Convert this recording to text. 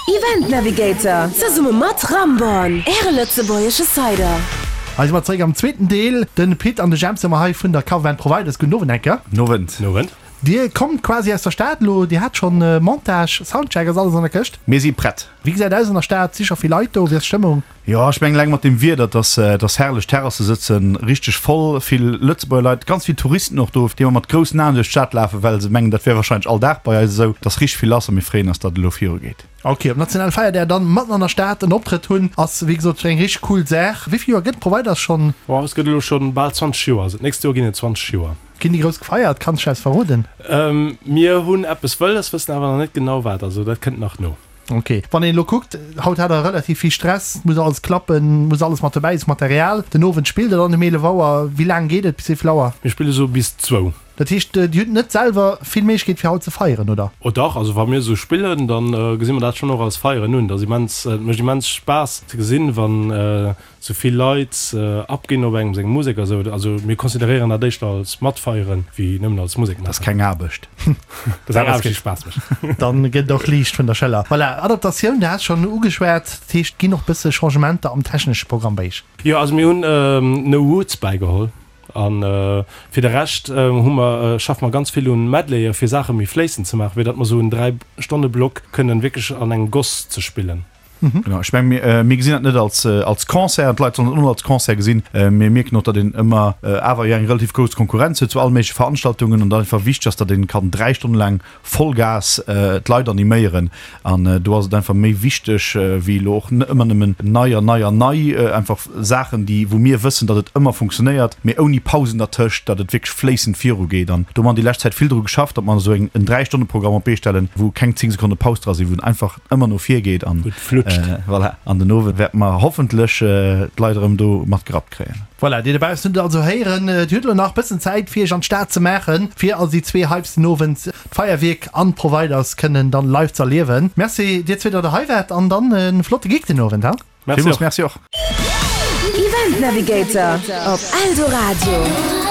Event Navigator, zesumme mat Ramborn, Äre lëtzebuergesche Cider. Hei si mer zeréck am zweeten Deel. De Pit an de Jemp si mer hei vun der Coverband Providers. Gudden Owend, Enker. Nowend. Nowend. Dir kommt quasi aus der Stad elo. Dir hat schonn Montage, Soundcheck, ass alles an der Këscht? Mir si prett. Wéi gesäit aus an der Stad? Si scho vill Leit do? Wéi ass d'Stëmmung? Jo, ech mengen eleng mat dem Wieder, et ass, et ass herrlech, d'Terrasse sëtze richteg voll, vill Lëtzebuerger Leit, ganz vill Touristen och do, déi ëmmer mat groussen Aen duerch d'Stad lafen, well se mengen, dat wär warscheinlech all Dag bei eis esou. Et ass richteg vill lass a mir freeën eis, datt et elo virugeet. Ok, op Nationalfeierdag dann matten an der Stad en Optrëtt hunn, ass wéi gesot eng richteg cool Saach. Wéi vill Joer gëtt Providers schonn? Oh, es gëtt elo schonn bal 20 Joer, also d'nächst Joer ginn et 20 Joer. Ginn déi grouss gefeiert? Kanns du eis verroden? Mir hunn eppes wëlles, wëssen awer nach net genau wat, also dat kënnt nach no. Ok, wann een elo kuckt, haut hat der relativ vill Stress, et muss alles klappen, muss alles mat dobäi sinn, Material. Den Owend spillt der dann um 11 Auer. Wéi laang geet et, bis wéi vill Auer? Mir spille sou bis zwou. Dat heescht, Dir hutt net selwer vill Méiglechkeet fir haut ze feieren, oder? Oh dach, also wa mir esou spillen, da gesi mer dat schonn och als Feieren un. Dat ass immens, et mécht immens Spaass ze gesinn, wann sou vill Leit abginn op engem seng Musek a sou. Also mir consideréieren dat éischter als matfeieren wéi nëmmen als Musek maachen. Dat ass keng Aarbecht. Dat ass eng Aarbecht déi Spaass mécht. Dann gëtt et och liicht vun der Schëller. Voilà, Adaptatioun, du has schonn ugeschwat, dat heescht et ginn och bësse Changementer am technesche Programm bei iech? Jo, also mir hunn No Roots bäigeholl an fir de Rescht hu mer, schaffe mer ganz vill un Medleye fir Saache méi fléissend ze maachen, fir datt mer sou en 3 Stonne Block kënnen wierklech an engem Goss ze spillen. Genau, ech meng, mir, mir gesinn dat net als, als Concert an d'Leit sollen et och net als Concert gesinn. Mir mierken och, datt een ëmmer awer jo eng relativ grouss Konkurrenz huet zu alle méigleche Veranstaltungen an datt einfach wichteg ass, datt een kann 3 Stonne laang Vollgas d'Leit animéieren. An do ass et einfach méi wichteg wéi elo och ëmmer nëmmen nei an nei an nei, einfach Saachen, déi, wou mir wëssen, datt et ëmmer funktionéiert, mee ouni Pausen dertëscht, datt et wierklech fléissend virugeet. An do hu mer an déi lescht Zäit vill dru geschafft, datt mer esou eng, en Dräistonneprogramm op d'Bee stellen, wou keng 10 Sekonne Paus dra sinn, wou einfach ëmmer no vir geet an voilà, an den Owend wäerte mer hoffentlech d'Leit erëm do mat gerappt kréien. Voilà, dir dobaussen hutt et also héieren, dir hutt elo nach bëssen Zäit fir iech an d'Stad ze maachen, fir also déi zwee Hypes den Owend, d'Feierwierk an d'Providers kënnen dann live ze erliewen. Merci dir zwee datt der hei waart an dann e flotte Gig den Owend, ha? Merci och. Event Navigator op Eldoradio.